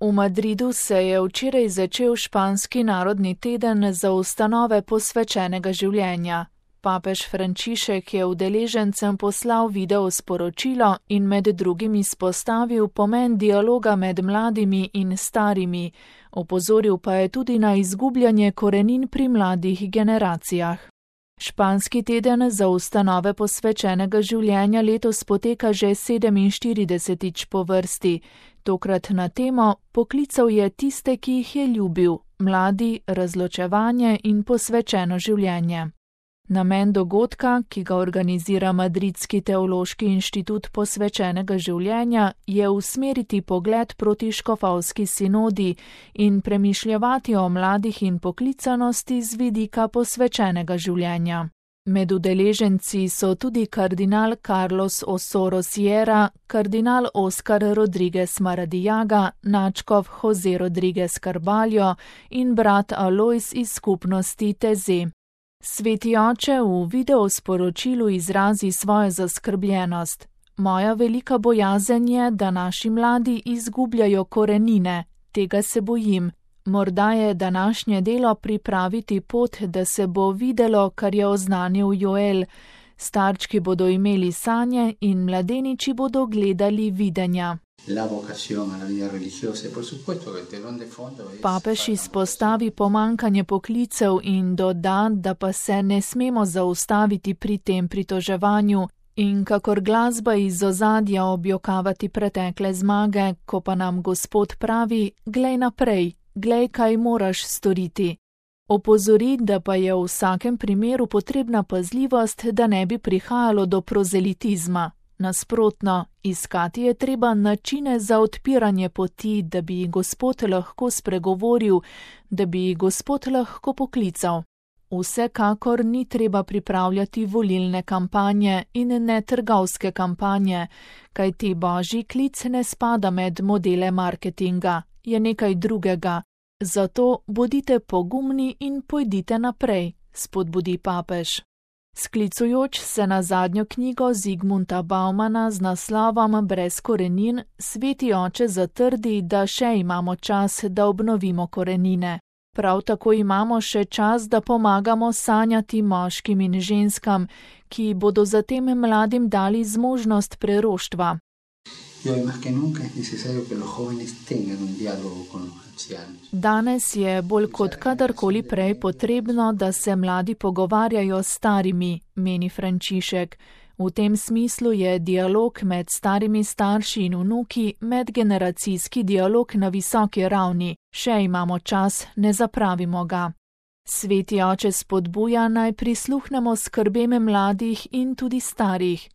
V Madridu se je včeraj začel španski narodni teden za ustanove posvečenega življenja. Papež Frančišek je udeležencem poslal video sporočilo in med drugim izpostavil pomen dialoga med mladimi in starimi, opozoril pa je tudi na izgubljanje korenin pri mladih generacijah. Španski teden za ustanove posvečenega življenja letos poteka že 47. po vrsti, tokrat na temo Poklical je tiste, ki jih je ljubil, mladi, razločevanje in posvečeno življenje. Namen dogodka, ki ga organizira Madridski teološki inštitut posvečenega življenja, je usmeriti pogled proti škofovski sinodi in premišljevati o mladih in poklicanosti z vidika posvečenega življenja. Med udeleženci so tudi kardinal Carlos Osoro Sierra, kardinal Oscar Rodriguez Maradiaga, nadškof Jose Rodriguez Carballo in brat Alois iz skupnosti Teze. Sveti oče v videosporočilu izrazi svojo zaskrbljenost. Moja velika bojazen je, da naši mladi izgubljajo korenine. Tega se bojim. Morda je današnje delo pripraviti pot, da se bo videlo, kar je oznanil Joel. Starčki bodo imeli sanje in mladeniči bodo gledali videnja. Papež izpostavi pomankanje poklicev in doda, da pa se ne smemo zaustaviti pri tem pritoževanju in kakor glasba iz ozadja objokavati pretekle zmage, ko pa nam Gospod pravi, glej naprej, glej, kaj moraš storiti. Opozori, da pa je v vsakem primeru potrebna pazljivost, da ne bi prihajalo do prozelitizma. Nasprotno, iskati je treba načine za odpiranje poti, da bi Gospod lahko spregovoril, da bi Gospod lahko poklical. Vsekakor ni treba pripravljati volilne kampanje in ne trgovske kampanje, kajti božji klic ne spada med modele marketinga, je nekaj drugega. Zato bodite pogumni in pojdite naprej, spodbudi papež. Sklicujoč se na zadnjo knjigo Zigmunda Baumana z naslovom Brez korenin, sveti oče zatrdi, da še imamo čas, da obnovimo korenine. Prav tako imamo še čas, da pomagamo sanjati moškim in ženskam, ki bodo zatem mladim dali zmožnost preroštva. Danes je bolj kot kadarkoli prej potrebno, da se mladi pogovarjajo s starimi, meni Frančišek. V tem smislu je dialog med starimi starši in vnuki medgeneracijski dialog na visoki ravni. Še imamo čas, ne zapravimo ga. Sveti oče spodbuja, naj prisluhnemo skrbem mladih in tudi starih.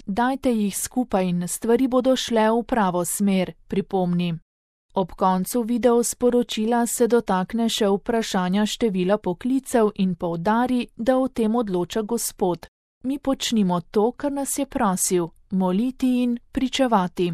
Dajte jih skupaj in stvari bodo šle v pravo smer, pripomni. Ob koncu videosporočila se dotakne še vprašanja števila poklicev in poudari, da o tem odloča Gospod. Mi počnimo to, kar nas je prosil, moliti in pričevati.